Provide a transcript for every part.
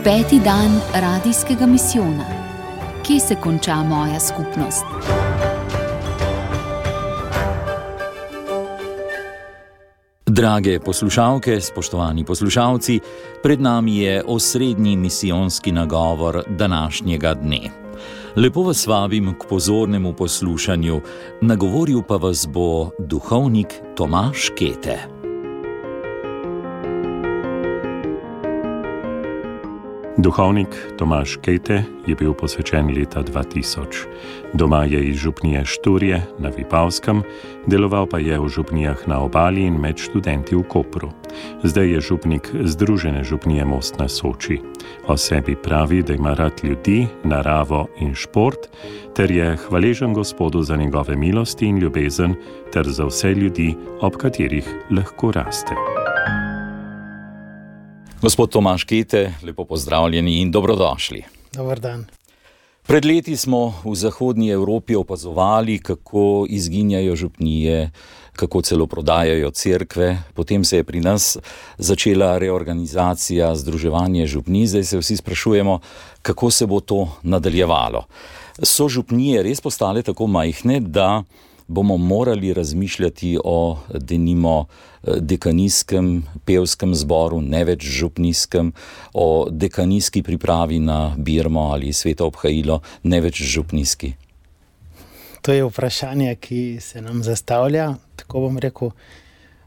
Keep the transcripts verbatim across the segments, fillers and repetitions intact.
Peti dan radijskega misijona. Kje se konča moja skupnost? Drage poslušalke, spoštovani poslušalci, pred nami je osrednji misijonski nagovor današnjega dne. Lepo vas vabim k pozornemu poslušanju, nagovoril pa vas bo duhovnik Tomaž Kete. Duhovnik Tomaž Kete je bil posvečen leta dva tisoč. Doma je iz župnije Šturje na Vipavskem, deloval pa je v župnijah na Obali in med študenti v Kopru. Zdaj je župnik Združene župnije Most na Soči. O sebi pravi, da ima rad ljudi, naravo in šport, ter je hvaležen Gospodu za njegove milosti in ljubezen, ter za vse ljudi, ob katerih lahko raste. Gospod Tomaž Kete, lepo pozdravljeni in dobrodošli. Dobar dan. Pred leti smo v zahodnji Evropi opazovali, kako izginjajo župnije, kako celo prodajajo cerkve. Potem se je pri nas začela reorganizacija, združevanje župnij. Zdaj se vsi sprašujemo, kako se bo to nadaljevalo. So župnije res postale tako majhne, da bomo morali razmišljati o denimo dekanijskem pevskem zboru, ne več župnijskem, o dekanijski pripravi na birmo ali sveto obhajilo, ne več župnijski? To je vprašanje, ki se nam zastavlja. Tako bom rekel,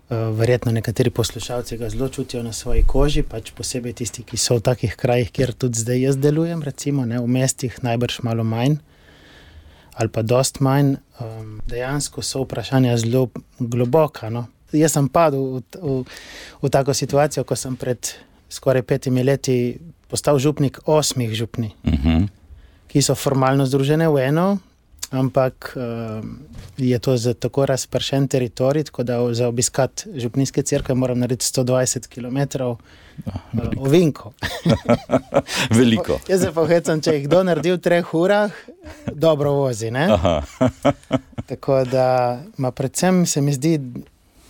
verjetno nekateri poslušalci ga zelo čutijo na svoji koži, pač posebej tisti, ki so v takih krajih, kjer tudi zdaj jaz delujem, recimo, ne, v mestih najbrž malo manj ali pa dost manj. Um, dejansko so vprašanja zelo globoka. No. Jaz sem padel v, v, v tako situacijo, ko sem pred skoraj petimi leti postal župnik osmih župnij, uh-huh. ki so formalno združene v eno, ampak um, je to za tako razpršen teritorij, tako da za obiskat župnijske cerkve moram narediti sto dvajset kilometrov uh, ovinkov. Veliko. Jaz se pa hecam, če jih kdo naredi v treh urah, dobro vozi, ne? Tako da, ma predvsem se mi zdi,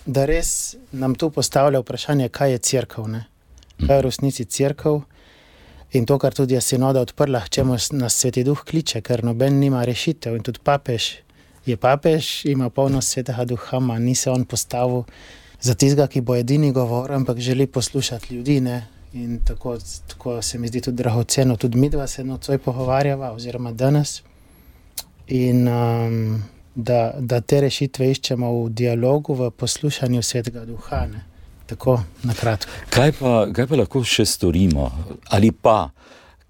da res nam tu postavlja vprašanje, kaj je cerkev, ne? Kaj je v resnici cerkev? In to, kar tudi je sinoda odprla, k čemu nas Sveti Duh kliče, ker noben nima rešitev. In tudi papež je papež, ima polnost Svetega Duha, ma ni se on postavil za tistega, ki bo edini govor, ampak želi poslušati ljudi, ne? In tako, tako se mi zdi tudi dragoceno, tudi midva se nocoj pogovarjava, oziroma danes. In um, da, da te rešitve iščemo v dialogu, v poslušanju Svetega Duha, ne? Tako, na kratko. Kaj pa, kaj pa lahko še storimo? Ali pa,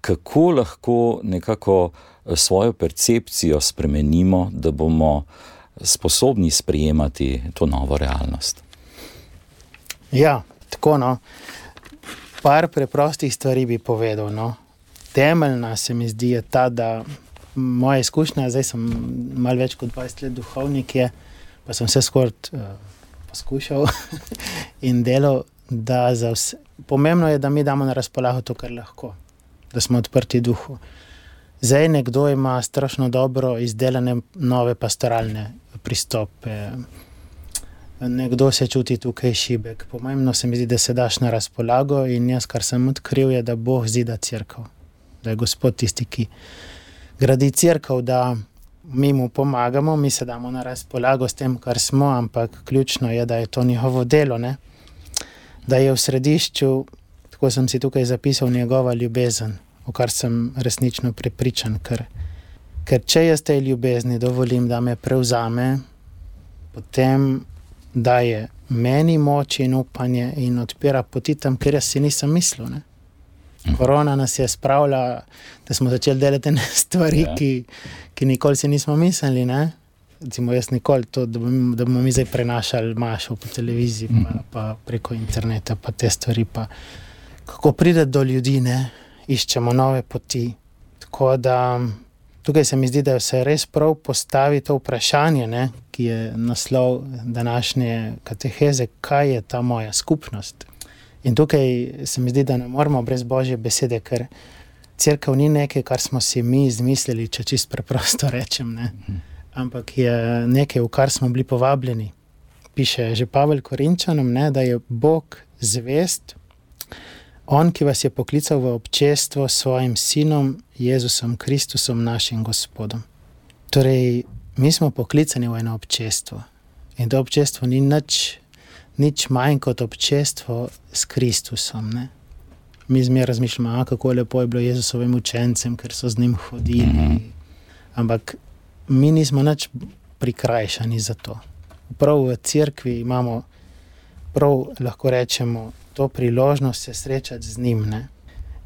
kako lahko nekako svojo percepcijo spremenimo, da bomo sposobni sprejemati to novo realnost? Ja, tako, no. Par preprostih stvari bi povedal, no. Temeljna se mi zdi je ta, da moja izkušnja, zdaj sem malo več kot dvajset let duhovnik je, pa sem vse skoraj uh, poskušal in delal, da za vse. Pomembno je, da mi damo na razpolago to, kar lahko, da smo odprti duhu. Zdaj nekdo ima strašno dobro izdelane nove pastoralne pristope, nekdo se čuti tukaj šibek. Pomembno se mi zdi, da se daš na razpolago in jaz, kar sem odkril, je, da Bog zida cerkev, da je Gospod tisti, ki gradi cerkev, da mi mu pomagamo, mi se damo na razpolago s tem, kar smo, ampak ključno je, da je to njihovo delo, ne? Da je v središču, tako sem si tukaj zapisal, njegova ljubezen, v kar sem resnično prepričan, ker, ker če jaz tej ljubezni dovolim, da me prevzame, potem daje meni moč in upanje in odpira poti tam, kjer jaz si nisem mislil, ne? Korona nas je spravila, da smo začeli delati stvari, ja. ki, ki nikoli si nismo mislili, ne? Recimo jaz nikoli to, da bomo, da bomo mi zdaj prenašali mašo po televiziji, pa, pa preko interneta, pa te stvari, pa kako pride do ljudi, ne? Iščemo nove poti. Tako da tukaj se mi zdi, da se res prav postavi to vprašanje, ne? Ki je naslov današnje kateheze, kaj je ta moja skupnost. In tukaj se mi zdi, da ne moramo brez Božje besede, ker cerkev ni nekaj, kar smo si mi izmislili, če čisto preprosto rečem, ne? Ampak je nekaj, v kar smo bili povabljeni. Piše že Pavel Korinčanom, ne, da je Bog zvest On, ki vas je poklical v občestvo s svojim sinom, Jezusom Kristusom, našim Gospodom. Torej, mi smo poklicani v eno občestvo. In to občestvo ni nič, nič manj kot občestvo s Kristusom, ne? Mi zmeraj razmišljamo, a, kako lepo je bilo Jezusovim učencem, ker so z njim hodili. Ampak mi nismo nič prikrajšani za to. Prav v cerkvi imamo, prav lahko rečemo, to priložnost se srečati z njim, ne?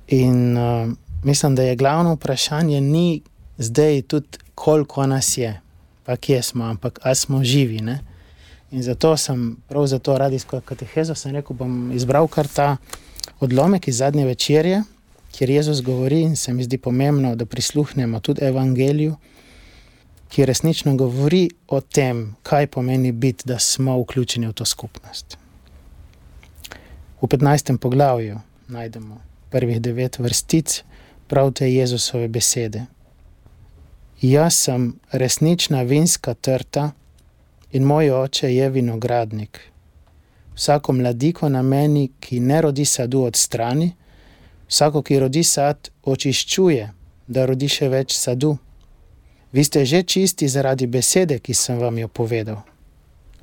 In uh, mislim, da je glavno vprašanje ni zdaj tudi, koliko nas je, pa kje smo, ampak ali smo živi, ne? In zato sem, prav zato radijsko katehezo sem rekel, bom izbral kar ta odlomek iz zadnje večerje, kjer Jezus govori in se mi zdi pomembno, da prisluhnemo tudi evangeliju, ki resnično govori o tem, kaj pomeni biti, da smo vključeni v to skupnost. V petnajstem poglavju najdemo prvih devet vrstic prav te Jezusove besede. Jaz sem resnična vinska trta in moj oče je vinogradnik. Vsako mladiko na meni, ki ne rodi sadu, odstrani, vsako, ki rodi sad, očiščuje, da rodi še več sadu. Vi ste že čisti zaradi besede, ki sem vam jo povedal.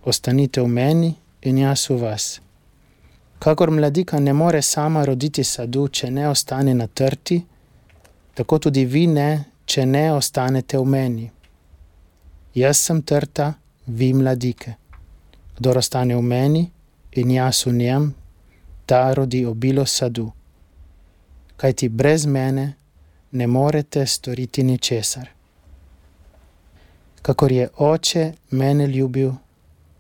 Ostanite v meni in jaz v vas. Kakor mladika ne more sama roditi sadu, če ne ostane na trti, tako tudi vi ne, če ne ostanete v meni. Jaz sem trta, vi mladike. Kdor ostane v meni in jaz v njem, ta rodi obilo sadu. Kajti brez mene ne morete storiti ničesar. Kakor je oče mene ljubil,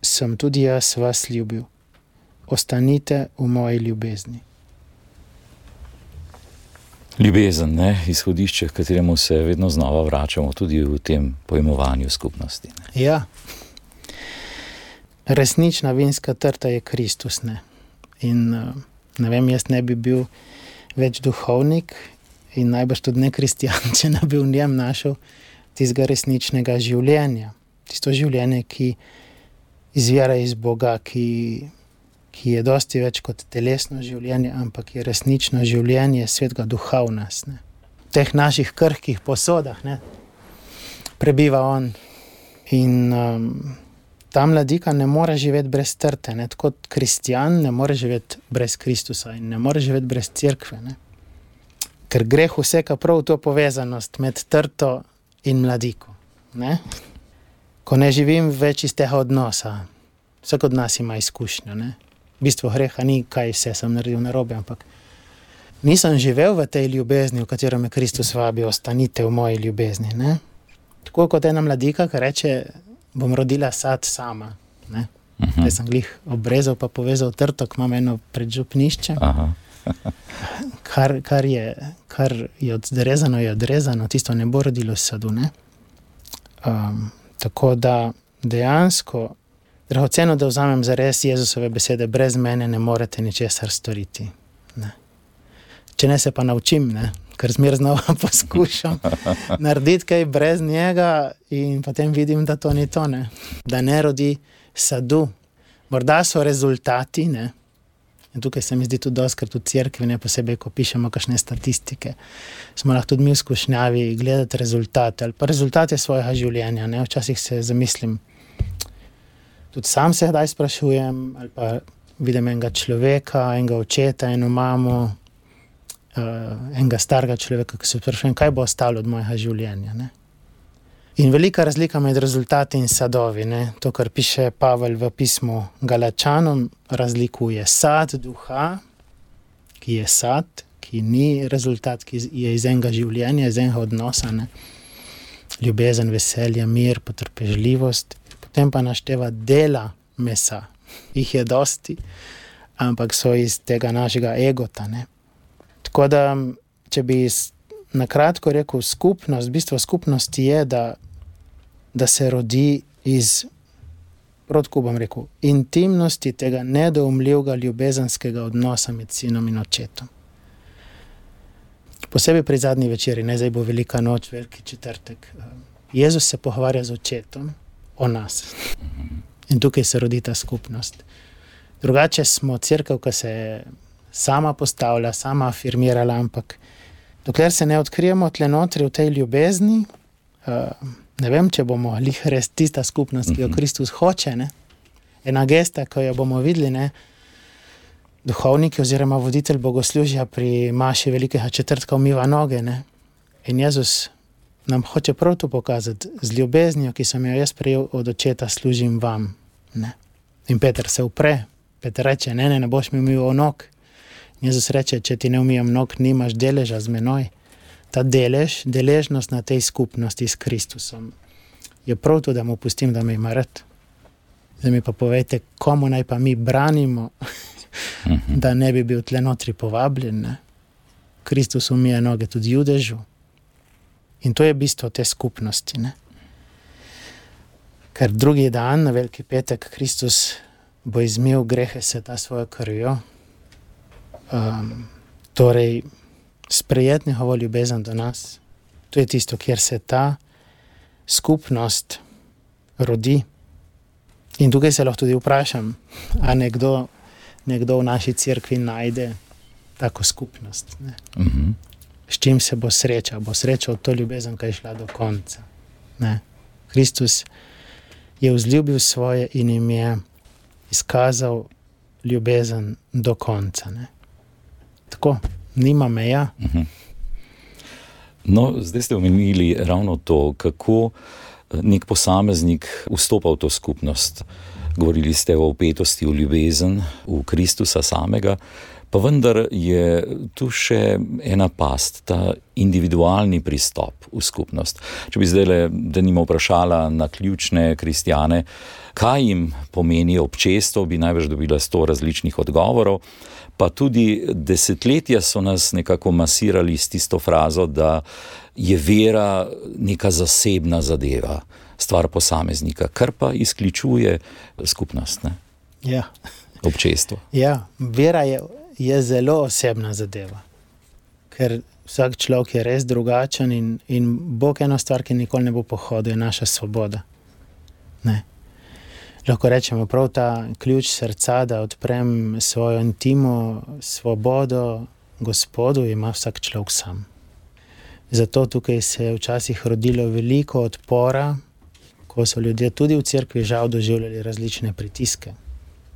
sem tudi jaz vas ljubil. Ostanite v moji ljubezni. Ljubezen, ne? Izhodišče, k kateremu se vedno znova vračamo tudi v tem pojmovanju skupnosti. Ne? Ja. Resnična vinska trta je Kristus, ne? In ne vem, jaz ne bi bil več duhovnik in najbrž tudi ne kristjan, če ne bi v njem našel tistega resničnega življenja. Tisto življenje, ki izvira iz Boga, ki, ki je dosti več kot telesno življenje, ampak je resnično življenje Svetega Duha v nas. Ne? V teh naših krhkih posodah, ne? Prebiva on. In um, ta mladika ne more živeti brez trte. Ne? Tako kristjan ne more živeti brez Kristusa in ne more živeti brez cerkve. Ne? Ker greh vseka prav to povezanost med trto in mladiko. Ne? Ko ne živim več iz tega odnosa, vsak od nas ima izkušnjo. Ne? V bistvu greha ni, kaj vse sem naredil narobe, ampak nisem živel v tej ljubezni, v katero me Kristus vabi, ostanite v moji ljubezni. Ne? Tako kot ena mladika, ki reče, bom rodila sad sama. Ne? Uh-huh. Zdaj sem glih obrezal pa povezal trto, ko imam eno predžupnišče. Aha. Kar, kar, je, kar je odrezano, je odrezano, tisto ne bo rodilo sadu. Ne? Um, tako da dejansko, dragoceno, da vzamem zares Jezusove besede, brez mene ne morete ničesar storiti. Ne? Če ne se pa naučim, ne? Ker zmer znova poskušam narediti kaj brez njega in potem vidim, da to ni to, ne? Da ne rodi sadu. Morda so rezultati, ne? In tukaj se mi zdi tudi doskrat v cerkvi, ne posebej, ko pišemo kakšne statistike, smo lahko tudi mi v skušnjavi gledati rezultate ali pa rezultate svojega življenja. Ne? Včasih se zamislim, tudi sam se kdaj sprašujem, ali pa vidim enega človeka, enega očeta, eno mamo, uh, enega starega človeka, ki se sprašujem, kaj bo ostalo od mojega življenja. Ne? In velika razlika med rezultati in sadovi, ne? To, kar piše Pavel v pismu Galačanom, razlikuje sad duha, ki je sad, ki ni rezultat, ki je iz enega življenja, iz enega odnosa, ne? Ljubezen, veselje, mir, potrpežljivost, potem pa našteva dela mesa. Jih je dosti, ampak so iz tega našega egota. Ne? Tako da, če bi na kratko rekel skupnost, bistvo skupnosti je, da da se rodi iz, protko bom rekel, intimnosti tega nedoumljivega ljubezenskega odnosa med sinom in očetom. Posebej pri zadnji večeri, ne, zdaj bo velika noč, veliki četrtek. Jezus se pogovarja z očetom o nas. In tukaj se rodi ta skupnost. Drugače smo cerkev, ki se sama postavlja, sama afirmirala, ampak dokler se ne odkrijemo tle notri v tej ljubezni, uh, ne vem, če bomo lih res tista skupnost, ki jo Kristus hoče, ne? Ena gesta, ko jo bomo videli, ne? Duhovniki oziroma voditelj bogoslužja pri maši velikega četrtka umiva noge, ne? In Jezus nam hoče prav to pokazati, z ljubeznijo, ki sem jo jaz prejel od očeta, služim vam, ne? In Peter se upre, Peter reče, ne, ne, ne boš mi umival nog. Jezus reče, če ti ne umijam nog, nimaš deleža z menoj. Ta delež, deležnost na tej skupnosti s Kristusom je prav to, da mu pustim, da me ima rad. Zdaj mi pa povejte, komu naj pa mi branimo, da ne bi bil tle notri povabljen, ne? Kristus umije noge tudi Judežu. In to je bistvo te skupnosti, ne? Ker drugi dan, na Veliki petek, Kristus bo izmil grehe sveta svojo krvjo. Um, torej, sprejet njegovo ljubezen do nas. To je tisto, kjer se ta skupnost rodi. In tukaj se lahko tudi vprašam, a nekdo, nekdo v naši cerkvi najde tako skupnost, ne? Mhm. S čim se bo srečal? Bo srečal to ljubezen, ki je šla do konca, ne? Kristus je vzljubil svoje in jim je izkazal ljubezen do konca, ne? Tako, nima meja. Mhm. No, zdaj ste omenili ravno to, kako nek posameznik vstopa v to skupnost. Govorili ste o vpetosti v ljubezen, v Kristusa samega, pa vendar je tu še ena past, ta individualni pristop v skupnost. Če bi zdaj le, da nima vprašala na ključne kristjane, kaj jim pomeni občestvo, bi najbrž dobila sto različnih odgovorov, pa tudi desetletja so nas nekako masirali s tisto frazo, da je vera neka zasebna zadeva, stvar posameznika, kar pa izključuje skupnost, ne? Ja. Občestvo. Ja, vera je, je zelo osebna zadeva, ker vsak človek je res drugačen in, in Bog eno stvar, ki nikoli ne bo pohodil, je naša svoboda. Ne. Lahko rečemo prav ta ključ srca, da odprem svojo intimo, svobodo Gospodu, ima vsak človek sam. Zato tukaj se je včasih rodilo veliko odpora, ko so ljudje tudi v cerkvi žal doživljali različne pritiske.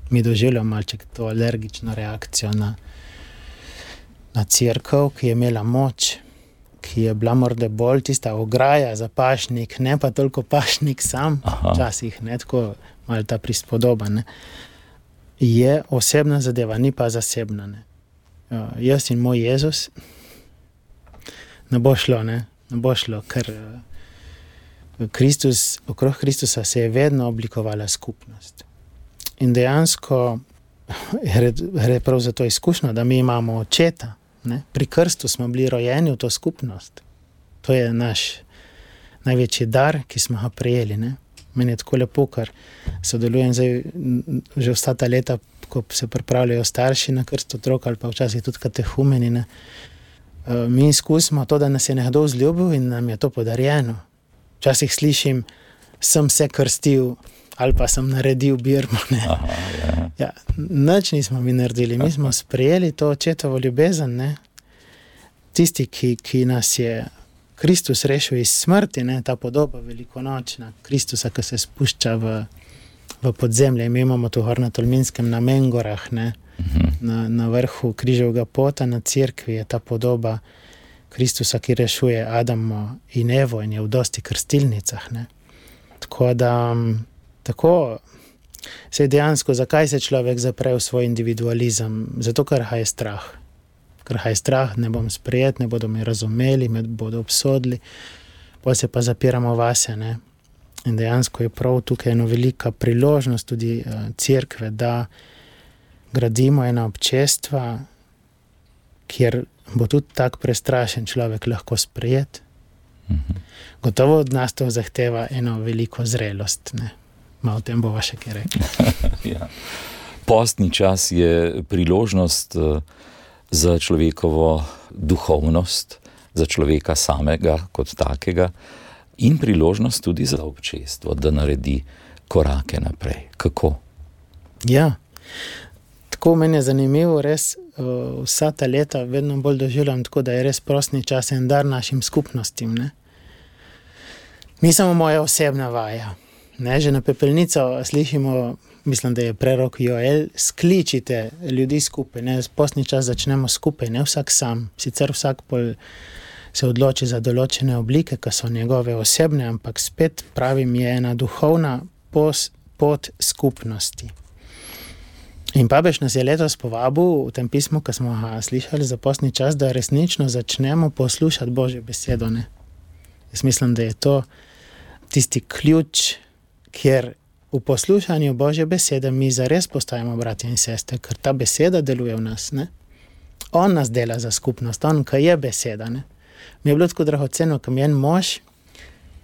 Mi doživljamo malček to alergično reakcijo na, na cerkev, ki je imela moč, ki je bila morda bolj tista ograja za pašnik, ne pa toliko pašnik sam, Aha. včasih, ne, tako malo ta prispodoba, ne. Je osebna zadeva, ni pa zasebna, ne. Uh, jaz in moj Jezus ne bo šlo, ne, ne bo šlo, ker uh, Kristus, okrog Kristusa se je vedno oblikovala skupnost. In dejansko gre prav za to izkušnjo, da mi imamo očeta, ne? Pri krstu smo bili rojeni v to skupnost. To je naš največji dar, ki smo ga prejeli, ne? Meni je tako lepo, ker sodelujem zdaj že vsa ta leta, ko se pripravljajo starši na krst otrok ali pa včasih tudi katehumeni, ne? Mi izkusimo to, da nas je nekdo vzljubil in nam je to podarjeno. Včasih slišim, sem se krstil ali pa sem naredil birmo, ne. Aha, ja. Ja, nič nismo mi naredili, mi smo sprejeli to očetovo ljubezen, ne. Tisti, ki, ki nas je Kristus rešil iz smrti, ne, ta podoba velikonočna Kristusa, ki se spušča v, v podzemlje. Mi imamo tu gor na Tolminskem, na Mengorah, ne, uh-huh. na, na vrhu križevega pota, na cerkvi je ta podoba Kristusa, ki rešuje Adamo in Evo in je v dosti krstilnicah, ne. Tako da, tako, sej dejansko, zakaj se človek zapre v svoj individualizem? Zato, ker ga je strah. Ker ga je strah, ne bom sprejet, ne bodo me razumeli, me bodo obsodili, potem se pa zapiramo vase, ne. In dejansko je prav tukaj eno velika priložnost tudi uh, cerkve, da gradimo ena občestva, kjer bo tudi tak prestrašen človek lahko sprejet. Mhm. Gotovo od nas to zahteva eno veliko zrelost, ne. Ma o tem bova še kaj rekla. Ja. Postni čas je priložnost za človekovo duhovnost, za človeka samega kot takega in priložnost tudi za občestvo, da naredi korake naprej. Kako? Ja, Tako meni je zanimivo, res uh, vsa ta leta vedno bolj doživljam tako, da je res prostni čas en dar našim skupnostim. Ne? Ni samo moja osebna vaja. Ne? Že na pepelnico slišimo, mislim, da je prerok Joel, skličite ljudi skupaj. Ne? Postni čas začnemo skupaj, ne vsak sam. Sicer vsak pol se odloči za določene oblike, ki so njegove osebne, ampak spet pravim, je ena duhovna pos, pot skupnosti. In papež nas je letos povabil v tem pismu, ki smo ga slišali za postni čas, da resnično začnemo poslušati Božjo besedo. Ne? Jaz mislim, da je to tisti ključ, kjer v poslušanju Božje besede mi zares postajamo bratje in sestre, ker ta beseda deluje v nas. Ne? On nas dela za skupnost, on, ki je beseda. Ne? Mi je bilo tako dragoceno, ko mi je en mož,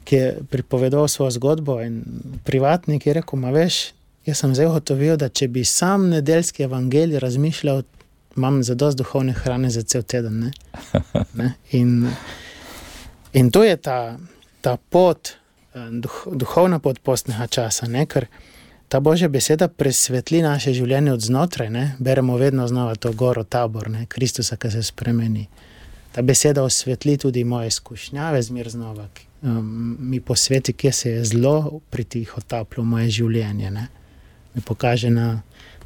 ki je pripovedoval svojo zgodbo in privatnik je rekel, ma veš, jaz sem zdaj ugotovil, da če bi sam nedeljski evangelij razmišljal, imam zadost duhovne hrane za cel teden. Ne? Ne? In, in to je ta, ta pot, duh, duhovna pot postnega časa, ne? Ker ta Božja beseda presvetli naše življenje od znotraj. Ne? Beremo vedno znova to goro Tabor, ne? Kristusa, ki se spremeni. Ta beseda osvetli tudi moje izkušnjave zmer znova. Um, mi posveti, kje se je zlo pritihotaplo v moje življenje. Ne? Mi pokaže na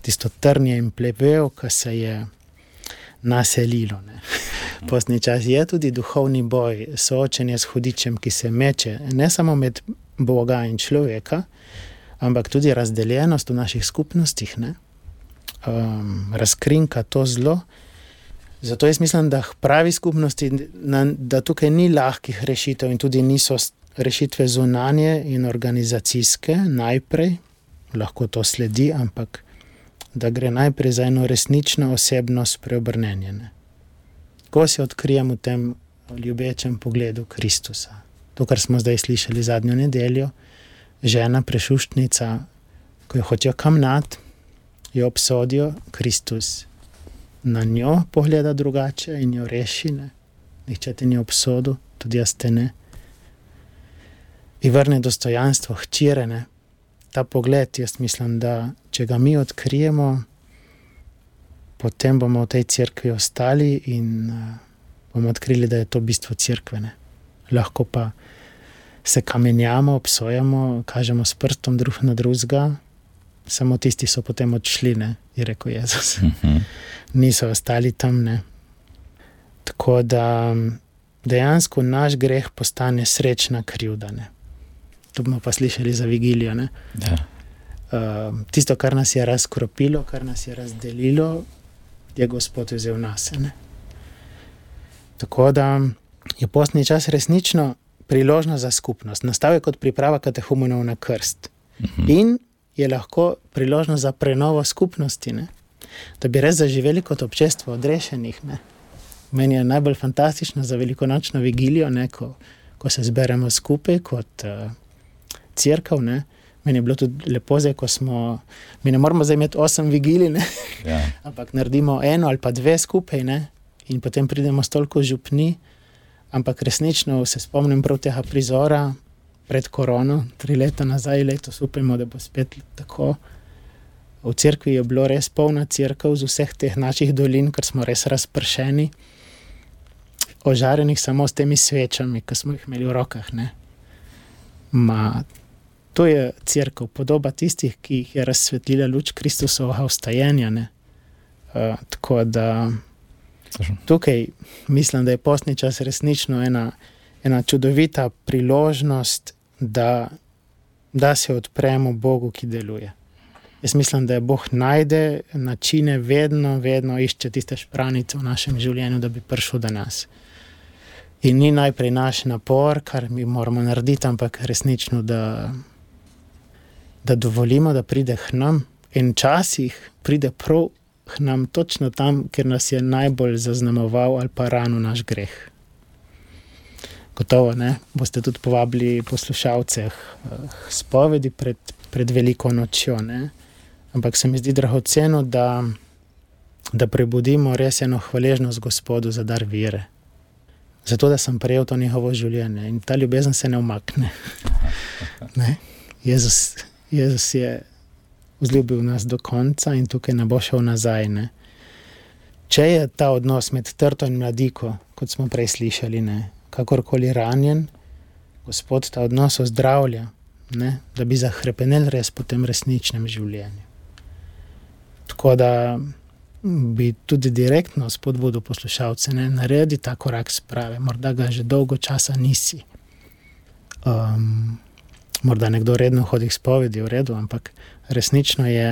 tisto trnje in plevel, ki se je naselilo. Ne? Postni čas je tudi duhovni boj, soočenje s hudičem, ki se meče, ne samo med Boga in človeka, ampak tudi razdeljenost v naših skupnostih, ne? Um, razkrinka to zlo. Zato jaz mislim, da pravi skupnosti, da tukaj ni lahkih rešitev in tudi niso rešitve zunanje in organizacijske najprej, lahko to sledi, ampak da gre najprej za eno resnično osebnost preobrnenje. Ko se odkrijem v tem ljubečem pogledu Kristusa. To, kar smo zdaj slišali zadnjo nedeljo, žena prešuštnica, ko jo hočejo kamnat, jo obsodijo, Kristus na njo pogleda drugače in jo reši. Ne? Nihče te ni obsodil, tudi jaz te ne. In vrne dostojanstvo hčere. Ne? Ta pogled, jaz mislim, da če ga mi odkrijemo, potem bomo v tej cerkvi ostali in uh, bomo odkrili, da je to bistvo cerkve. Ne? Lahko pa se kamenjamo, obsojamo, kažemo s prstom drug na drugega, samo tisti so potem odšli, ne? Je rekel Jezus. Uh-huh. Niso ostali tam. Ne? Tako da dejansko naš greh postane srečna krivda. Ne? To bomo pa slišali za vigilijo. Ne? Ja. Uh, tisto, kar nas je razkropilo, kar nas je razdelilo, je Gospod vzel nas. Ne? Tako da je postni čas resnično priložnost za skupnost. Nastal je kot priprava katehumenov na krst. Uh-huh. In je lahko priložnost za prenovo skupnosti, ne? Da bi res zaživeli kot občestvo odrešenih. Ne? Meni je najbolj fantastično za velikonočno vigilijo, ne? Ko, ko se zberemo skupaj kot uh, cerkev. Ne? Meni je bilo tudi lepo zdaj, ko smo, mi ne moramo zdaj imeti osem vigilij, ne? Ja. Ampak naredimo eno ali pa dve skupaj, ne? In potem pridemo s toliko župni, ampak resnično se spomnim prav tega prizora pred korono, tri leta nazaj, letos upajmo, da bo spet tako. V cerkvi je bilo res polna cerkev z vseh teh naših dolin, ker smo res razpršeni, ožarenih samo s temi svečami, ki smo jih imeli v rokah. Ne? Ma, to je cerkev, podoba tistih, ki jih je razsvetlila luč Kristusovega vstajenja. Ne? Uh, tako da tukaj mislim, da je postni čas resnično ena, ena čudovita priložnost, da, da se odpremo Bogu, ki deluje. Jaz mislim, da je Bog najde načine, vedno, vedno išče tiste špranice v našem življenju, da bi prišel do nas. In ni najprej naš napor, kar mi moramo narediti, ampak resnično, da, da dovolimo, da pride k nam. In časih pride prav k nam točno tam, kjer nas je najbolj zaznamoval ali pa ranil naš greh. Gotovo, ne? Boste tudi povabili poslušalce k spovedi pred, pred veliko nočjo, ne? Ampak se mi zdi dragoceno, da, da prebudimo res eno hvaležnost Gospodu za dar vere. Zato, da sem prejel to njegovo življenje in ta ljubezen se ne umakne. Ne? Jezus, Jezus je vzljubil nas do konca in tukaj ne bo šel nazaj. Ne. Če je ta odnos med trto in mladiko, kot smo prej slišali, ne, kakorkoli ranjen, Gospod ta odnos ozdravlja, ne, da bi zahrepenel res po tem resničnem življenju. Tako da bi tudi direktno spodbudil poslušalce, ne, naredi ta korak sprave, morda ga že dolgo časa nisi. Um, morda nekdo redno hodi k spovedi, v redu, ampak resnično je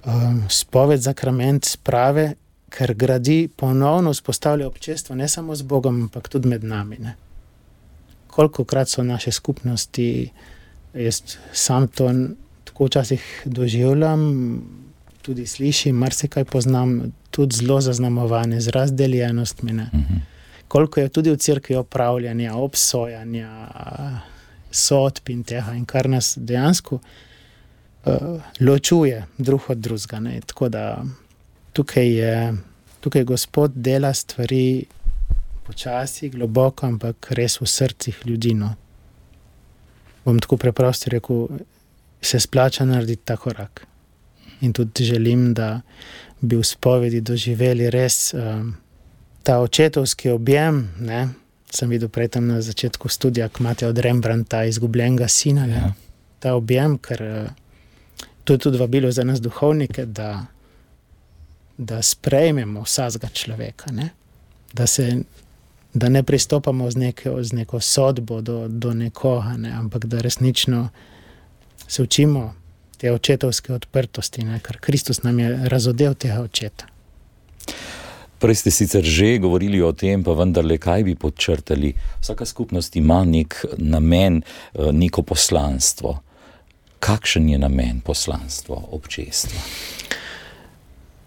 um, spoved zakrament sprave, ker gradi ponovno vzpostavlja občestvo ne samo z Bogom, ampak tudi med nami. Ne. Kolikokrat so naše skupnosti, jaz sam to tako včasih doživljam, tudi slišim, marsikaj poznam, tudi zelo zaznamovane z razdeljenostmi. Ne. Uh-huh. Koliko je tudi v cerkvi opravljanja, obsojanja, sodb in tega, in kar nas dejansko uh, ločuje drug od drugega. Ne. Tako da tukaj je, tukaj Gospod dela stvari počasi, globoko, ampak res v srcih ljudi. No. Bom tako preprosto rekel, se splača narediti ta korak. In tudi želim, da bi v spovedi doživeli res um, ta očetovski objem, ne, sem videl prej tam na začetku studija, ko imate od Rembrandta Izgubljenega sina, ne, ja. Ta objem, ker to je tudi vabilo za nas duhovnike, da, da sprejmemo vsakega človeka, ne, da se da ne pristopamo z neko, z neko sodbo do, do nekoga, ne, ampak da resnično se učimo te očetovske odprtosti, ne, ker Kristus nam je razodel tega očeta. Prej ste sicer že govorili o tem, pa vendarle, kaj bi podčrtali. Vsaka skupnost ima nek namen, neko poslanstvo. Kakšen je namen poslanstva občestva?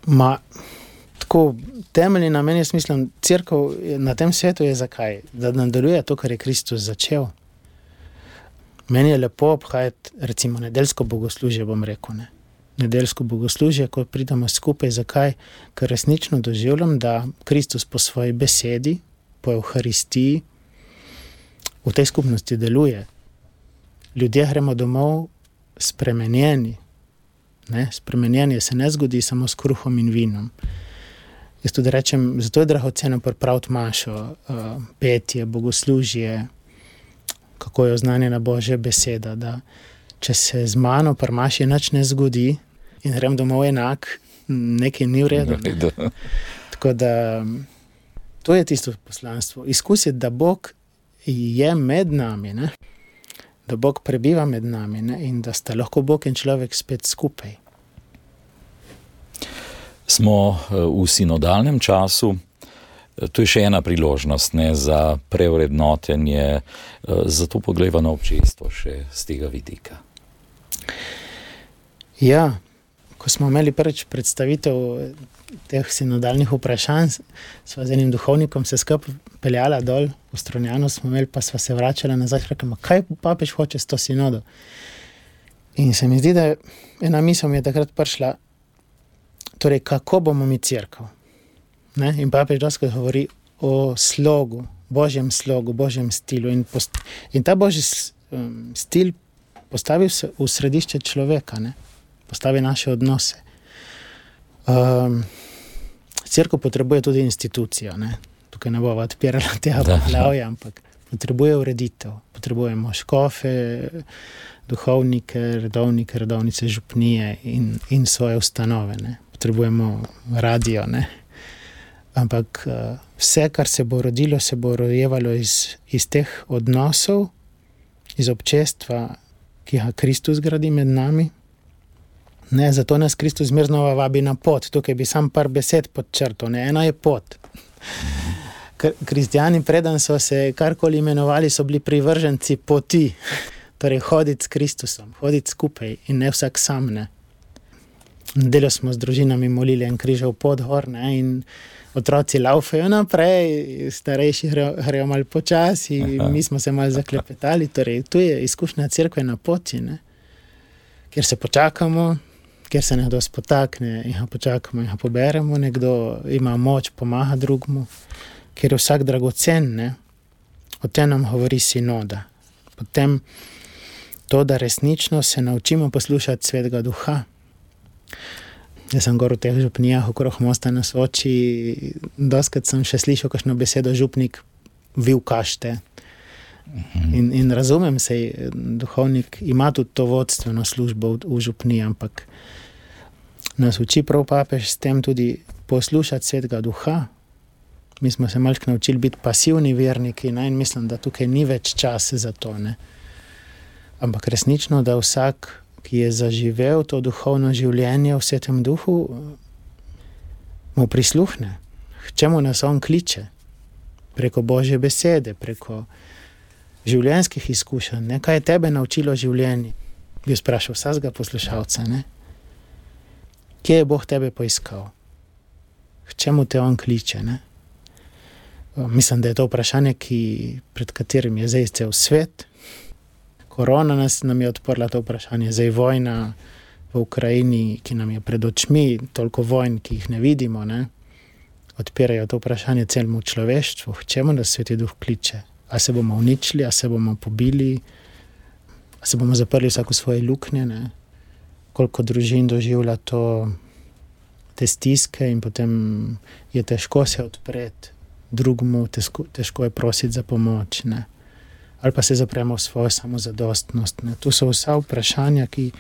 Ma, tako, temeljni namen, jaz mislim, cerkev na tem svetu je zakaj? Da nadaljuje to, kar je Kristus začel. Meni je lepo obhajati, recimo, nedeljsko bogoslužje, bom rekel, ne. Nedeljsko bogoslužje, ko pridemo skupaj, zakaj? Ker resnično doživljam, da Kristus po svoji besedi, po Evharistiji, v tej skupnosti deluje. Ljudje gremo domov spremenjeni. Ne? Spremenjenje se ne zgodi samo s kruhom in vinom. Jaz tudi rečem, zato je dragoceno pripraviti mašo, uh, petje, bogoslužje, kako je oznanjena Božja beseda, da če se z mano pri maši nič ne zgodi in grem domov enak, nekaj ni v redu. Ne? Tako da to je tisto poslanstvo. Izkusiti, da Bog je med nami, ne? Da Bog prebiva med nami, ne? In da sta lahko Bog in človek spet skupaj. Smo v sinodalnem času. To je še ena priložnost, ne, za prevrednotenje, zato poglejva na občestvo še z tega vidika. Ja, ko smo imeli prvič predstavitev teh sinodalnih vprašanj, sva z enim duhovnikom se skupaj peljala dol v Strunjanu, smo imeli, pa sva se vračala nazaj, rekla, kaj papež hoče s to sinodo? In se mi zdi, da ena misel mi je takrat prišla, torej, kako bomo mi cerkev? Ne? In papež doskrat govori o slogu, Božjem slogu, Božjem stilu. In, post, in ta Božji um, stil postavi v, v središče človeka, ne? Postavi naše odnose. Um, cerkev potrebuje tudi institucijo. Ne? Tukaj ne bova odpirala tega poglavja, ampak potrebuje ureditev. Potrebujemo škofe, duhovnike, redovnike, redovnice, župnije in, in svoje ustanove. Ne? Potrebujemo radio, ne? Ampak vse, kar se bo rodilo, se bo rojevalo iz, iz teh odnosov, iz občestva, ki ga Kristus gradi med nami. Ne, zato nas Kristus zmer znova vabi na pot. Tukaj bi sam par besed podčrtal. Ne, ena je pot. Kristjani preden so se karkoli imenovali, so bili privrženci poti. Torej, hoditi s Kristusom, hoditi skupaj in ne vsak sam, ne. Nedeljo smo z družinami molili en križev pot gor, ne, in otroci laufajo naprej, starejši grejo malo počasi, mi smo se malo zaklepetali, torej tu je izkušnja cerkve na poti, ne, kjer se počakamo, kjer se nekdo spotakne in ga počakamo in ga poberemo, nekdo ima moč, pomaga drugmu, kjer je vsak dragocen, ne, o tem nam govori sinoda. Potem to, da resnično se naučimo poslušati Svetega Duha. Jaz sem gor v teh župnijah okrog Mosta na Soči, doskrat sem še slišal kakšno besedo župnik vil kašte. In, in razumem se, duhovnik ima tudi to vodstveno službo v, v župniji, ampak nas uči prav papež s tem tudi poslušati Svetega Duha. Mi smo se malček naučili biti pasivni verniki, ne? In mislim, da tukaj ni več čas za to. Ne? Ampak resnično, da vsak, ki je zaživel to duhovno življenje v Svetem Duhu, mu prisluhne. K čemu nas on kliče? Preko Božje besede, preko življenjskih izkušenj. Ne? Kaj je tebe naučilo življenje? Bi sprašal vsakega poslušalca. Ne? Kje je Bog tebe poiskal? K čemu te on kliče? Ne? Mislim, da je to vprašanje, ki, pred katerim je zdaj cel svet. Korona nas nam je odprla to vprašanje. Zdaj vojna v Ukrajini, ki nam je pred očmi, toliko vojn, ki jih ne vidimo, ne? Odpirajo to vprašanje celemu človeštvu. K čemu nas Sveti Duh kliče? A se bomo uničili, a se bomo pobili, a se bomo zaprli vsako svoje luknje, ne? Koliko družin doživlja to, te stiske in potem je težko se odpreti drugmu, težko, težko je prositi za pomoč, ne? Ali pa se zapremo v svojo samozadostnost. Ne? To so vsa vprašanja, ki,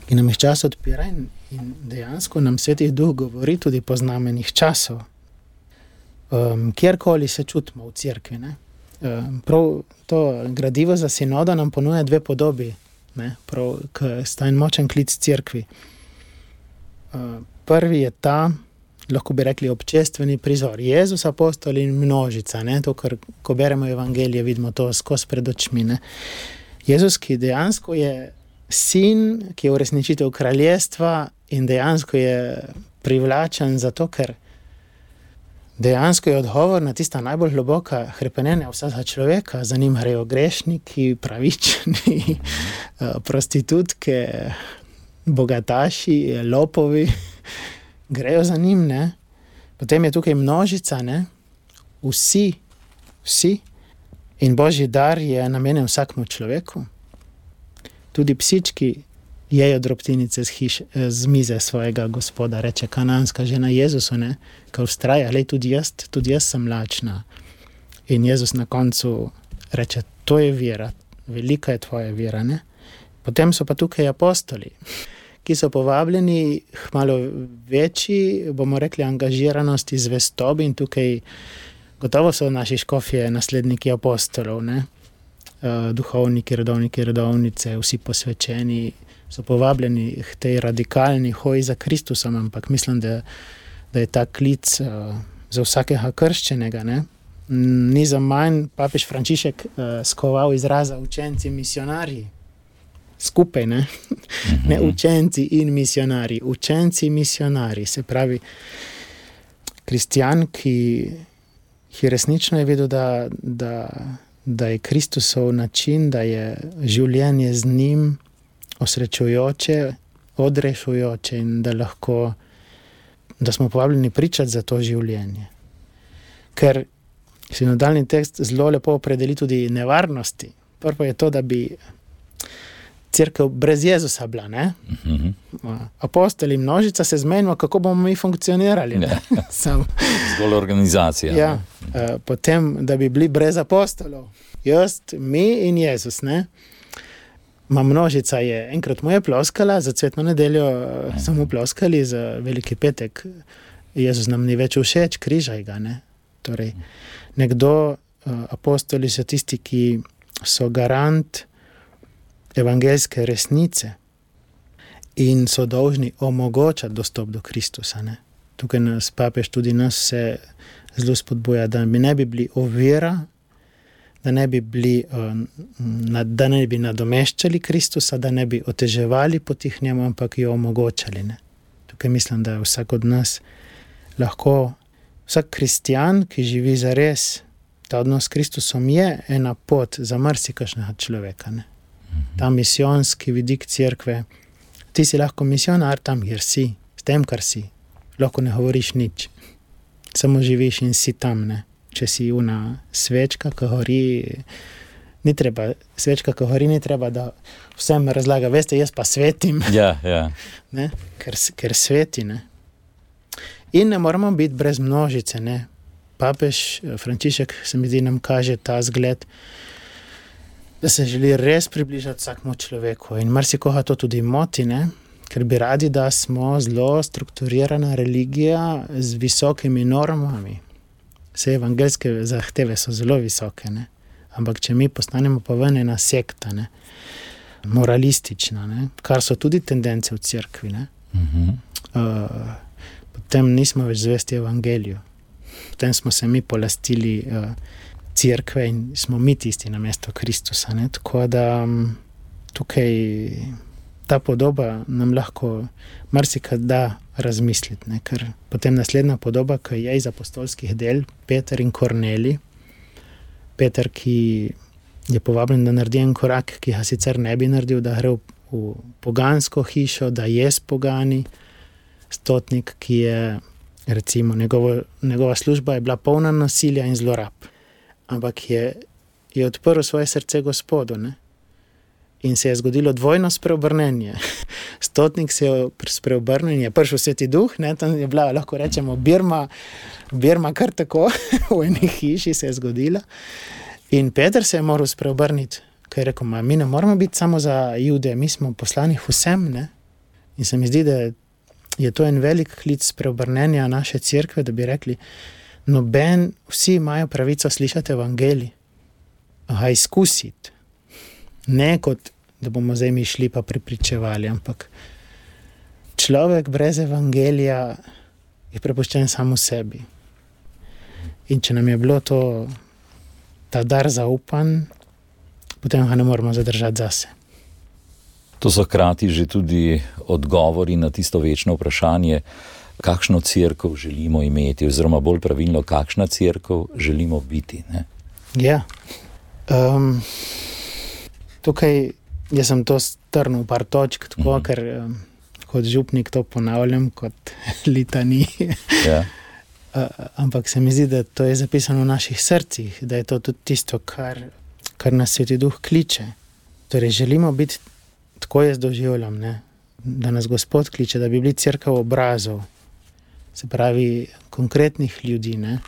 ki nam jih čas odpira in, in dejansko nam Sveti Duh govori tudi po znamenih časov. Um, kjerkoli se čutimo v cerkvi, ne? Um, prav to gradivo za sinodo nam ponuja dve podobi, ne? Prav, ki sta en močen klic cerkvi. Uh, prvi je ta, lahko bi rekli, občestveni prizor. Jezus, apostoli in množica. Ne? To, kar, ko beremo evangelije, vidimo to skozi pred očmi. Ne? Jezus, ki dejansko je sin, ki je uresničitev kraljestva in dejansko je privlačen zato, ker dejansko je odgovor na tista najbolj globoka hrepenenja vsakega človeka. Za njim grejo grešniki, pravični, prostitutke, bogataši, lopovi. Grejo za njim, ne? Potem je tukaj množica, ne? Vsi, vsi. In Božji dar je namenjen vsakmu človeku. Tudi psički jejo drobtinice z, hiš, z mize svojega Gospoda, reče kananska žena Jezusu, ne? Ko vztraja, lej, tudi jaz, tudi jaz sem lačna. In Jezus na koncu reče, to je vera, velika je tvoja vera, ne? Potem so pa tukaj apostoli, ki so povabljeni k malo večji, bomo rekli, angažiranosti, zvestobi, in tukaj gotovo so naši škofje nasledniki apostolov, ne? Uh, duhovniki, redovniki, redovnice, vsi posvečeni so povabljeni k tej radikalni hoji za Kristusom, ampak mislim, da, da je ta klic uh, za vsakega krščenega, ne? Ni za manj papež Frančišek uh, skoval izraza učenci misionarji. Skupaj, ne? Ne učenci in misionari. Učenci misionari, se pravi, kristjan, ki, ki resnično je vedel, da, da, da je Kristusov način, da je življenje z njim osrečujoče, odrešujoče in da lahko, da smo povabljeni pričati za to življenje. Ker sinodalni tekst zelo lepo opredeli tudi nevarnosti. Prvo je to, da bi cerkev brez Jezusa bila, ne? Uh-huh. Apostoli, množica se zmenimo, kako bomo mi funkcionirali. Ne? Sam. Zgolj organizacija. Ja, uh, potem, da bi bili brez apostolov. Jaz, mi in Jezus, ne? Ma množica je, enkrat mu je ploskala, za cvetno nedeljo uh, so mu ploskali, za veliki petek Jezus nam ni več všeč, križaj ga, ne? Torej, nekdo, uh, apostoli so tisti, ki so garant evangeljske resnice in so dolžni omogočati dostop do Kristusa. Ne? Tukaj nas papež tudi nas se zelo spodbuja, da bi ne bi bili ovira, da ne bi bili, da ne bi nadomeščali Kristusa, da ne bi oteževali poti k njemu, ampak jo omogočali. Ne? Tukaj mislim, da vsak od nas lahko, vsak kristjan, ki živi zares, ta odnos s Kristusom je ena pot za marsikašnega človeka. Ne? Ta misijonski vidik cerkve, ti si lahko misionar tam, kjer si, s tem, kar si. Lahko ne govoriš nič, samo živiš in si tam, ne. Če si una svečka, ki gori Ni treba, svečka, ko hori, ni treba, da vsem razlaga, veste, jaz pa svetim. Ja, ja. Ne? Ker, ker sveti, ne. In ne moramo biti brez množice, ne. Papež Frančišek, se mi zdi, nam kaže ta zgled, da se želi res približati vsakmu človeku. In marsikoga to tudi moti, ne. Ker bi radi, da smo zelo strukturirana religija z visokimi normami. Vse evangelske zahteve so zelo visoke, ne. Ampak če mi postanemo pa ven ena sekta, ne, moralistična, ne, kar so tudi tendence v cerkvi, ne, Mhm. uh, potem nismo več zvesti evangeliju. Potem smo se mi polastili uh, cerkve in smo mi tisti namesto Kristusa, ne, tako da um, tukaj ta podoba nam lahko marsikaj da razmisliti, ne, ker potem naslednja podoba, ki je iz apostolskih del, Peter in Kornelij. Peter, ki je povabljen, da naredi en korak, ki ga sicer ne bi naredil, da gre v, v pogansko hišo, da je s pogani, stotnik, ki je, recimo, njegovo, njegova služba je bila polna nasilja in zlorab. Ampak je, je odprl svoje srce Gospodu, ne? In se je zgodilo dvojno spreobrnenje. Stotnik se je spreobrnil in je prišel Sveti Duh, ne? Tam je bila, lahko rečemo, Birma, Birma kar tako, v eni hiši se je zgodila. In Peter se je moral spreobrniti, ker je rekel, ma, mi ne moramo biti samo za Jude, mi smo poslani vsem, ne? In se mi zdi, da je to en velik klic spreobrnenja naše cerkve, da bi rekli, noben, vsi imajo pravico slišati evangelij, ga izkusiti. Ne kot, da bomo zdaj mi šli pa prepričevali, ampak človek brez evangelija je prepuščen samo sebi. In če nam je bilo to, ta dar zaupan, potem ga ne moramo zadržati zase. To so hkrati že tudi odgovori na tisto večno vprašanje, kakšno cerkev želimo imeti, oziroma bolj pravilno, kakšna cerkev želimo biti. Ne? Ja. Um, tukaj jaz sem to strnil v par točk, tako, mm. ker um, kot župnik to ponavljam, kot litanije. Ja. Uh, ampak se mi zdi, da to je zapisano v naših srcih, da je to tudi tisto, kar, kar nas Sveti Duh kliče. Torej, želimo biti, tako jaz doživljam, ne, da nas Gospod kliče, da bi bili cerkev obrazov, se pravi konkretnih ljudi, ne.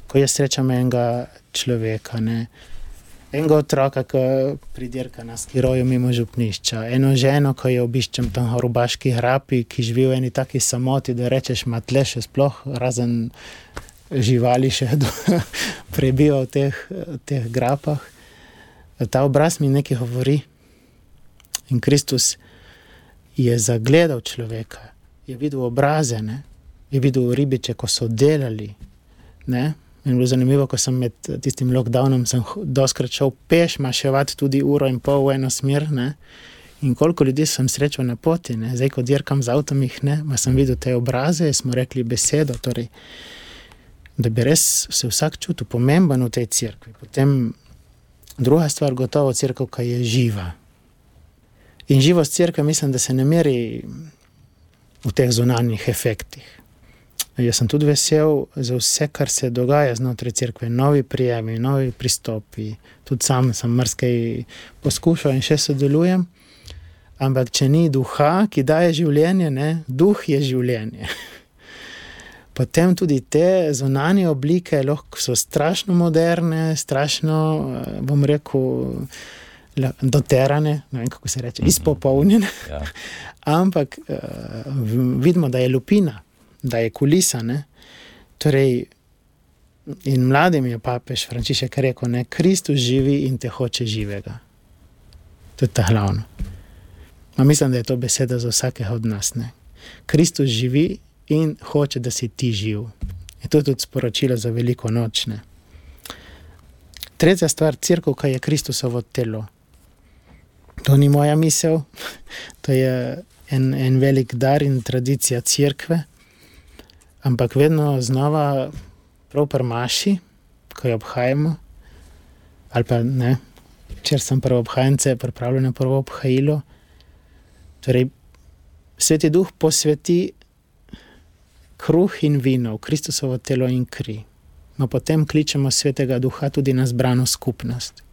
Ko jaz srečam enega človeka, ne, enega otroka, ki pridirka na skiroju mimo župnišča, eno ženo, ko jo obiščem tam v Rubaški hrapi, ki živi v eni taki samoti, da rečeš, ma tle še sploh razen živali še prebiva v teh, teh grapah. Ta obraz mi nekaj govori. In Kristus je zagledal človeka, je videl obraze, ne? Je videl ribiče, ko so delali, ne? In bilo zanimivo, ko sem med tistim lockdownom, sem doskrat šel peš maševati tudi uro in pol v eno smer, ne? In koliko ljudi sem srečal na poti, ne? Zdaj, ko dirkam z avtom jih, ne? Ma sem videl te obraze, smo rekli besedo, torej, da bi res se vsak čutil pomemben v tej cerkvi. Potem druga stvar, gotovo cerkev, ki je živa. In živost cerkve mislim, da se ne meri v teh zunanjih efektih. Jaz sem tudi vesel za vse, kar se dogaja znotraj cerkve, novi prijemi, novi pristopi. Tudi sam sem marsikaj poskušal in še sodelujem. Ampak če ni duha, ki daje življenje, ne, duh je življenje. Potem tudi te zunanje oblike lahko so strašno moderne, strašno, bom rekel, doterane, ne vem, kako se reče, izpopolnjene. Ja. Ampak uh, vidimo, da je lupina, da je kulisa, ne. Torej, in mladim je papež Frančišek rekel, ne, Kristus živi in te hoče živega. To je ta glavno. Ma mislim, da je to beseda za vsakega od nas, ne. Kristus živi in hoče, da si ti živ. In to je tudi sporočilo za veliko noč, ne. Tretja stvar, cerkev, kaj je Kristusovo telo. To ni moja misel, to je en, en velik dar in tradicija cerkve, ampak vedno znova prav pri maši, ko jo obhajamo, ali pa ne, če sem prvo obhajence, pripravljeno prvo obhajilo, torej Sveti Duh posveti kruh in vino v Kristusovo telo in kri. No, potem kličemo Svetega Duha tudi na zbrano skupnost.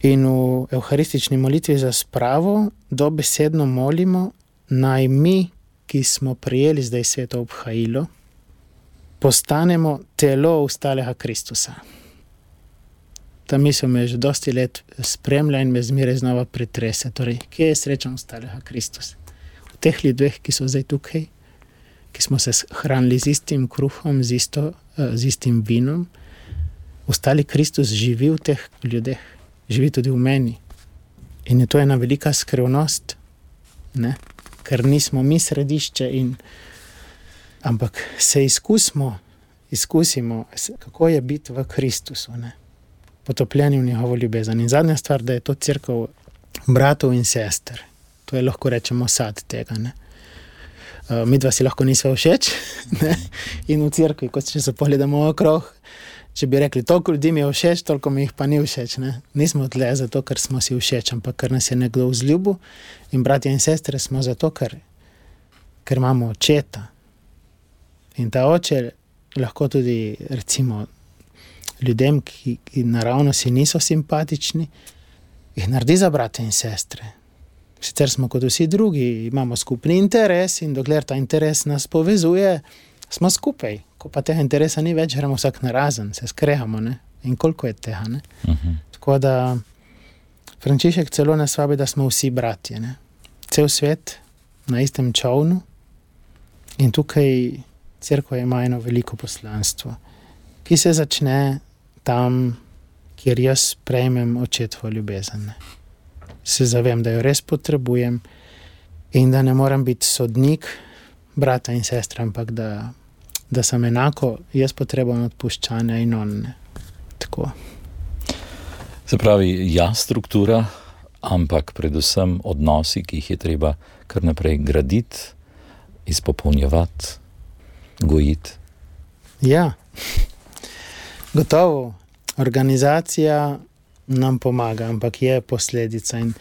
In v evharistični molitvi za spravo dobesedno molimo, naj mi, ki smo prijeli zdaj sveto obhajilo, postanemo telo ustalega Kristusa. Ta misel me že dosti let spremlja in me zmeraj znova pretrese. Torej, kje je srečen ustalega Kristusa? V teh ljudeh, ki so zdaj tukaj, ki smo se hranili z istim kruhom, z, isto, z istim vinom, ostali Kristus živi v teh ljudeh, živi tudi v meni. In je to ena velika skrivnost, ne? Ker nismo mi središče, in, ampak se izkusimo, izkusimo, kako je biti v Kristusu, ne? Potopljeni v njegovo ljubezen. In zadnja stvar, da je to cerkev bratov in sester. To je, lahko rečemo, sad tega. Ne? Uh, mi dva si lahko nisva všeč, ne? In v cerkvi, kot če se pogledamo okrog, če bi rekli, toliko ljudi mi je všeč, toliko mi jih pa ni všeč. Ne? Nismo tle zato, ker smo si všeč, ampak ker nas je nekdo vzljubil, in bratje in sestre smo zato, ker, ker imamo očeta. In ta oče lahko tudi, recimo, ljudem, ki, ki naravno si niso simpatični, jih naredi za brate in sestre. Sicer smo kot vsi drugi, imamo skupni interes, in dokler ta interes nas povezuje, smo skupaj. Ko pa tega interesa ni več, gremo vsak narazen, se skrehamo, ne? In koliko je tega, ne? Uh-huh. Tako da Frančišek celo nas vabi, da smo vsi bratje, ne? Cel svet na istem čovnu, in tukaj cerkev ima eno veliko poslanstvo, ki se začne tam, kjer jaz prejmem očetovo ljubezen. Ne? Se zavem, da jo res potrebujem in da ne moram biti sodnik brata in sestra, ampak da, da sem enako jaz potreben odpuščanja in on. Ne? Tako. Se pravi, ja, struktura, ampak predvsem odnosi, ki jih je treba kar naprej graditi, izpopolnjevati, gojiti. Ja. Gotovo, organizacija nam pomaga, ampak je posledica. In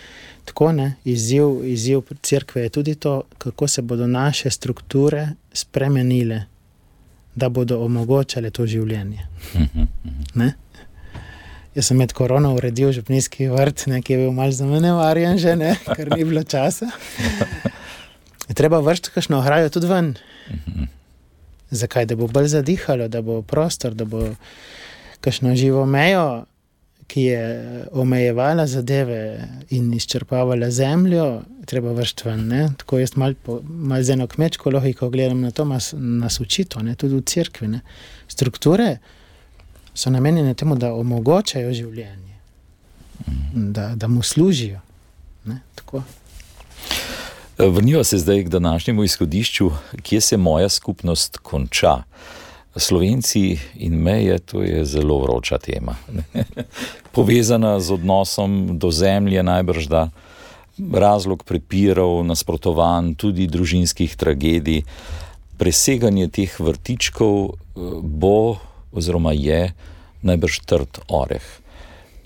tako, ne, izziv, izziv cerkve je tudi to, kako se bodo naše strukture spremenile, da bodo omogočale to življenje. Ne? Jaz sem med korono uredil župnijski vrt, ne, ki je bil malo zanemarjen že, ne, ker ni bilo časa. Je treba vršiti kakšno ograjo tudi ven. Zakaj? Da bo bolj zadihalo, da bo prostor, da bo kakšno živo mejo, ki je omejevala zadeve in izčrpavala zemljo, treba vršiti ven. Ne? Tako jaz malo mal z eno kmečko logiko gledam na to, mas, nas učito, ne? Tudi v cerkvi. Ne? Strukture so namenjene temu, da omogočajo življenje, da, da mu služijo. Ne? Tako. Vrniva se zdaj k današnjemu izhodišču, kje se moja skupnost konča. Slovenci in meje, to je zelo vroča tema. Povezana z odnosom do zemlje najbrž, da razlog prepirov, nasprotovanj, tudi družinskih tragedij. Preseganje teh vrtičkov bo oziroma je najbrž trd oreh.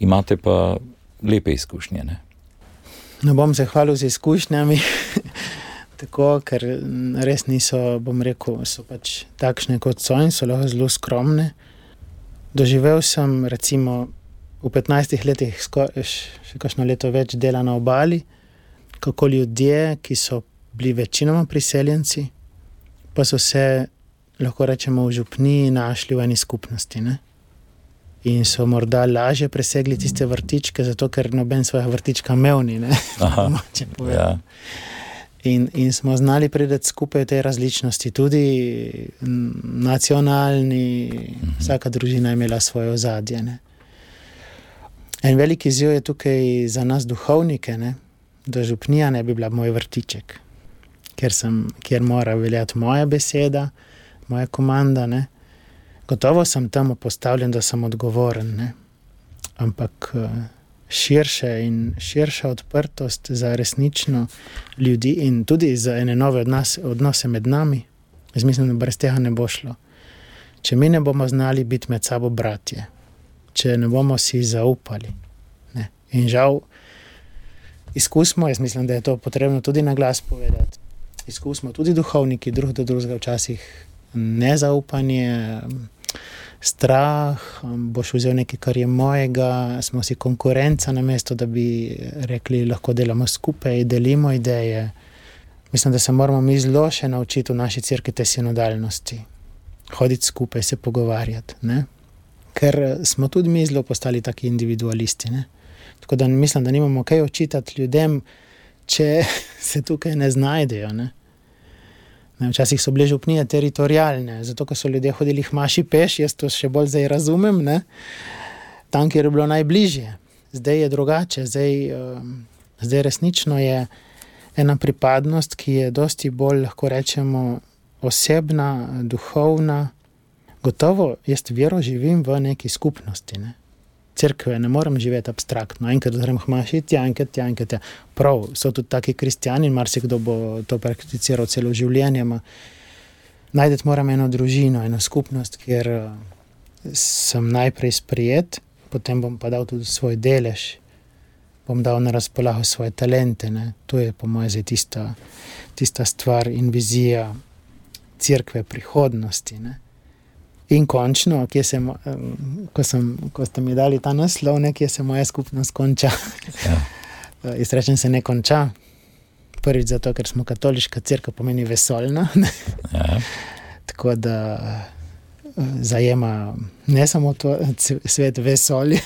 Imate pa lepe izkušnje, ne? Ne bom se hvalil z izkušnjami, tako, ker res niso, bom rekel, so pač takšne kot so in so lahko zelo skromne. Doživel sem recimo v petnajstih letih skoraj še kakšno leto več dela na obali, kako ljudje, ki so bili večinoma priseljenci, pa so se, lahko rečemo, v župniji našli v eni skupnosti, ne? In so morda lažje presegli tiste vrtičke, zato ker noben svojega vrtička imel ni, ne? Aha, ja. In, in smo znali priti skupaj v tej različnosti, tudi nacionalni, mhm. Vsaka družina je imela svoje ozadje, ne? En veliki izziv je tukaj za nas duhovnike, ne? Da župnija ne bi bila moj vrtiček, kjer, sem, kjer mora veljati moja beseda, moja komanda, ne? Gotovo sem tam postavljen, da sem odgovoren, ne? Ampak širše in širša odprtost za resnično ljudi in tudi za ene nove odnose, odnose med nami. Jaz mislim, da brez tega ne bo šlo. Če mi ne bomo znali biti med sabo bratje, če ne bomo si zaupali, ne? In žal izkusimo, jaz mislim, da je to potrebno tudi na glas povedati, izkusimo tudi duhovniki drug do drugega včasih nezaupanje, strah, boš vzel nekaj, kar je mojega, smo si konkurenca, namesto da bi rekli, lahko delamo skupaj, delimo ideje. Mislim, da se moramo mi zelo še naučiti v naši cerkvi te sinodalnosti. Hoditi skupaj, se pogovarjati, ne? Ker smo tudi mi zelo postali taki individualisti, ne? Tako da mislim, da nimamo kaj očitati ljudem, če se tukaj ne znajdejo, ne? Ne, včasih so bile župnije teritorialne, zato, ker so ljudje hodili k maši peš, jaz to še bolj zdaj razumem, ne? Tam, kjer je bilo najbližje. Zdaj je drugače, zdaj, uh, zdaj resnično je ena pripadnost, ki je dosti bolj, lahko rečemo, osebna, duhovna. Gotovo, jaz vero živim v neki skupnosti, ne? Cerkve ne morem živeti abstraktno, enkrat grem k maši, tja, enkrat, tja, enkrat, tja. Prav, so tudi taki kristjani, marsikdo bo to prakticiral celo življenje, ma najdeti moram eno družino, eno skupnost, kjer sem najprej sprijet, potem bom pa dal tudi svoj delež, bom dal na razpolago svoje talente, ne. To je po moje zdaj tista, tista stvar in vizija cerkve prihodnosti, ne. In končno, kje se, ko, sem, ko ste mi dali ta naslov, ne, kje se moja skupnost konča. Ja. Jaz rečem, se ne konča. Prvič zato, ker smo katoliška cerkev, pomeni vesoljna. Ja. Tako da zajema ne samo to, svet vesolja.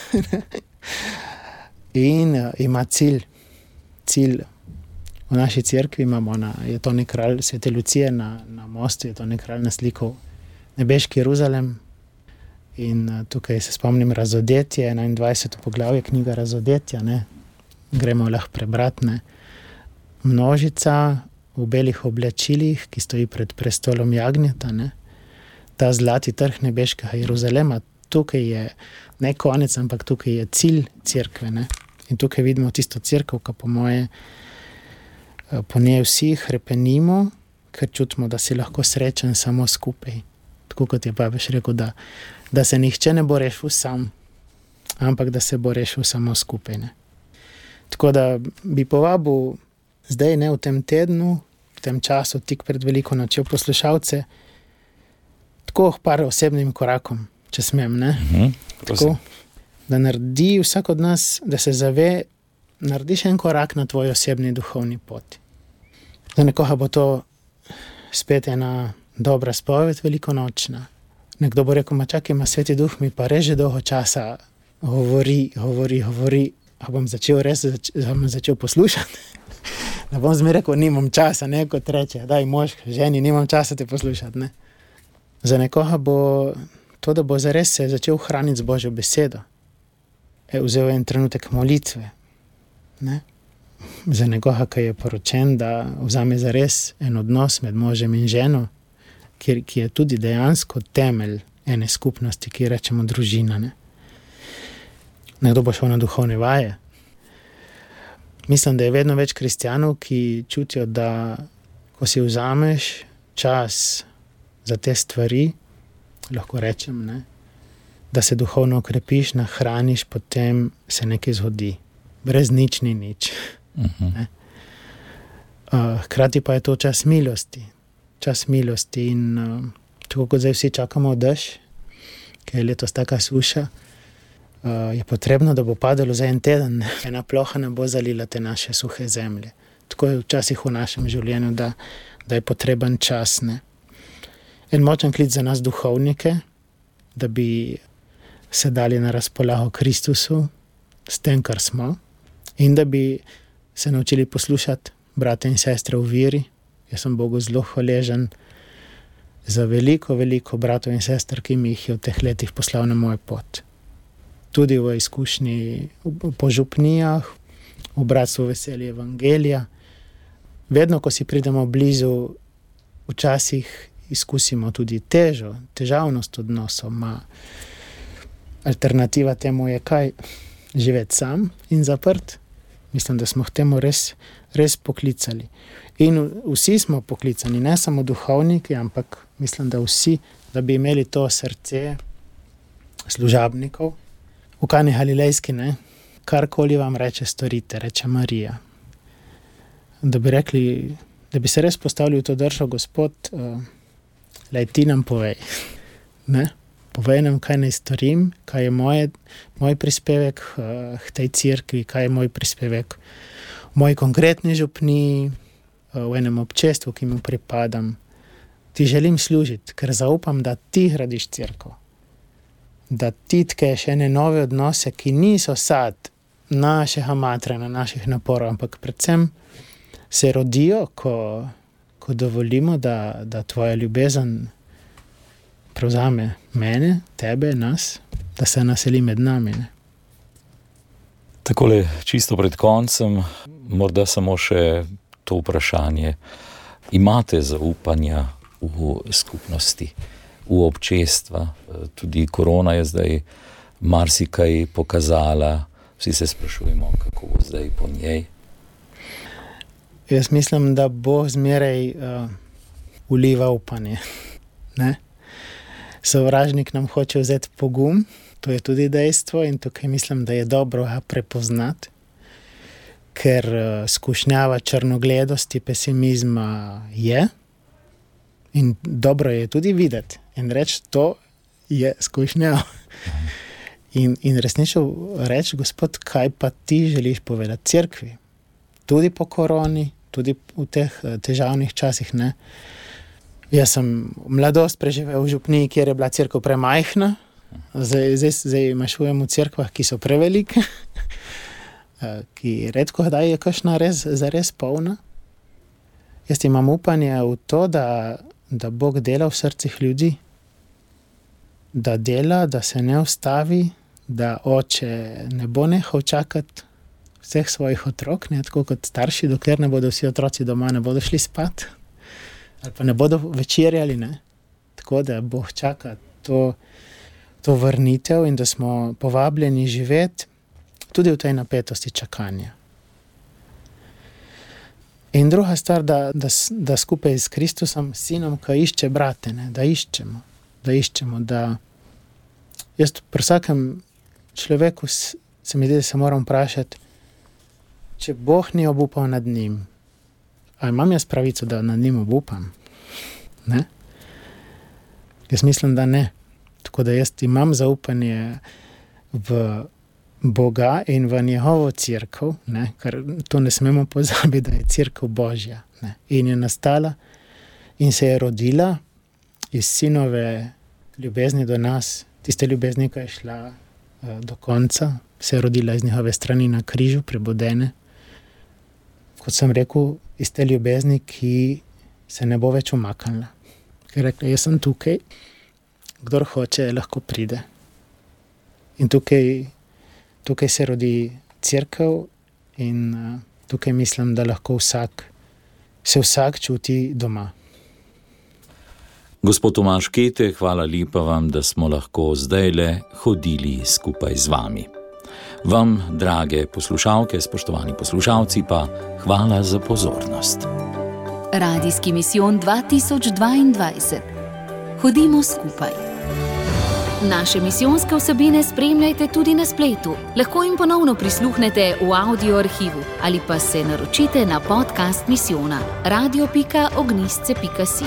In ima cilj. Cilj. V naši cerkvi imamo, na, je to nek kralj Svete Lucije na, na mostu, je to nek kralj naslikal nebeški Jeruzalem in tukaj se spomnim Razodetje, enaindvajseto poglavje, knjiga Razodetja, ne, gremo lahko prebrati, ne. Množica v belih oblačilih, ki stoji pred prestolom jagnjeta, ne, ta zlati trg nebeškega Jeruzalema, tukaj je ne konec, ampak tukaj je cilj cerkve, ne. In tukaj vidimo tisto cerkev, ki po moje, po njej vsi hrepenimo, ker čutimo, da si lahko srečen samo skupaj. Tako kot je papež rekel, da, da se nihče ne bo rešil sam, ampak da se bo rešil samo skupaj, ne. Tako da bi povabil zdaj, ne, v tem tednu, v tem času, tik pred veliko nočjo poslušalce, tako par osebnim korakom, če smem, ne. Mhm, tako, da naredi vsak od nas, da se zave, narediš en korak na tvoj osebni duhovni poti. Za nekoga bo to spet ena dobra spoved velikonočna. Nekdo bo rekel, ma čakaj, ma Sveti Duh mi pa res že dolgo časa govori, govori, govori, a bom začel res, zač, bom začel poslušati. Da bom zmeraj rekel, nimam časa, ne, kot reče, daj mož, ženi, nimam časa te poslušati, ne. Za nekoga bo to, da bo zares se začel hraniti z Božjo besedo. E, vzel en trenutek molitve, ne. Za nekoga, ki je poročen, da vzame zares en odnos med možem in ženo, ki, ki je tudi dejansko temelj ene skupnosti, ki rečemo družina, ne. Nekdo bo šel na duhovne vaje. Mislim, da je vedno več kristjanov, ki čutijo, da ko si vzameš čas za te stvari, lahko rečem, ne, da se duhovno okrepiš, nahraniš, potem se nekaj zgodi. Brez nič ni nič. Uh-huh. Ne? Uh, hkrati pa je to čas milosti. Čas milosti in uh, tako kot zdaj vsi čakamo dež, ker je letos taka suša, uh, je potrebno, da bo padalo za en teden. Ne? Ena ploha ne bo zalila te naše suhe zemlje. Tako je včasih v našem življenju, da, da je potreben čas. Ne? En močen klic za nas duhovnike, da bi se dali na razpolago Kristusu s tem, kar smo, in da bi se naučili poslušati brate in sestre v veri. Jaz sem Bogu zelo hvaležen za veliko, veliko bratov in sester, ki mi jih je v teh letih poslal na moj pot. Tudi v izkušnji po župnijah, v bratstvu veselje evangelija. Vedno, ko si pridemo blizu, včasih izkusimo tudi težo, težavnost odnosov. Ma alternativa temu je kaj? Živeti sam in zaprt. Mislim, da smo k temu res, res poklicali. In vsi smo poklicani, ne samo duhovniki, ampak mislim, da vsi, da bi imeli to srce služabnikov. V Kani Galilejski, ne, karkoli vam reče, storite, reče Marija. Da bi rekli, da bi se res postavili v to držo, Gospod, uh, lej ti nam povej. Ne? povedem, kaj naj storim, kaj je moje, moj prispevek uh, k tej cerkvi, kaj je moj prispevek v moji konkretni župniji, uh, v enem občestvu, ki mu pripadam. Ti želim služiti, ker zaupam, da ti gradiš cerkev. Da ti tkeš ene nove odnose, ki niso sad našega matranja, naših naporov, ampak predvsem se rodijo, ko, ko dovolimo, da, da tvoja ljubezen prevzame mene, tebe, nas, da se naseli med nami. Ne? Takole, čisto pred koncem, morda samo še to vprašanje. Imate zaupanja v skupnosti, v občestva? Tudi korona je zdaj marsikaj pokazala. Vsi se sprašujemo, kako bo zdaj po njej. Jaz mislim, da bo zmeraj uh, vliva upanje. Ne? Sovražnik nam hoče vzeti pogum, to je tudi dejstvo in tukaj mislim, da je dobro ga prepoznati, ker uh, skušnjava črnogledosti, pesimizma je in dobro je tudi videti in reči, to je skušnjava. In, in resnično reči, Gospod, kaj pa ti želiš povedati cerkvi? Tudi po koroni, tudi v teh težavnih časih, ne. Jaz sem mladost preživel v župniji, kjer je bila cerkev premajhna, zdaj, zdaj, zdaj mašujem v cerkvah, ki so prevelike, ki redko kdaj je kakšna res, zares polna. Jaz imam upanje v to, da, da Bog dela v srcih ljudi, da dela, da se ne ustavi, da oče ne bo nehal čakati vseh svojih otrok, ne, tako kot starši, dokler ne bodo vsi otroci doma, ne bodo šli spat, ali pa ne bodo večerjali, ne. Tako da Bog čaka to, to vrnitev in da smo povabljeni živeti tudi v tej napetosti čakanja. In druga stvar, da, da, da skupaj s Kristusom, sinom, ki išče brate, ne, da iščemo, da iščemo, da jaz pri vsakem človeku se mi zdi, da se moram vprašati, če Bog ni obupal nad njim, a imam jaz pravico, da nad njim obupam? Ne? Jaz mislim, da ne. Tako da jaz imam zaupanje v Boga in v njegovo cerkev, ne? Ker to ne smemo pozabiti, da je cerkev Božja. Ne? In je nastala in se je rodila iz sinove ljubezni do nas, tiste ljubezni, ki je šla uh, do konca, se je rodila iz njihove strani na križu, prebodene. Kot sem rekel, iz te ljubezni, ki se ne bo več umaknila. Ker je rekla, jaz sem tukaj, kdor hoče, lahko pride. In tukaj, tukaj se rodi cerkev in uh, tukaj mislim, da lahko vsak, se vsak čuti doma. Gospod Tomaž Kete, hvala lepa vam, da smo lahko zdajle hodili skupaj z vami. Vam, drage poslušalke, spoštovani poslušalci, pa hvala za pozornost. Radijski misijon dva tisoč dvaindvajset. Hodimo skupaj. Naše misijonske vsebine spremljajte tudi na spletu. Lahko jim ponovno prisluhnete v audio arhivu ali pa se naročite na podcast misijona radio pika ognjišče pika si.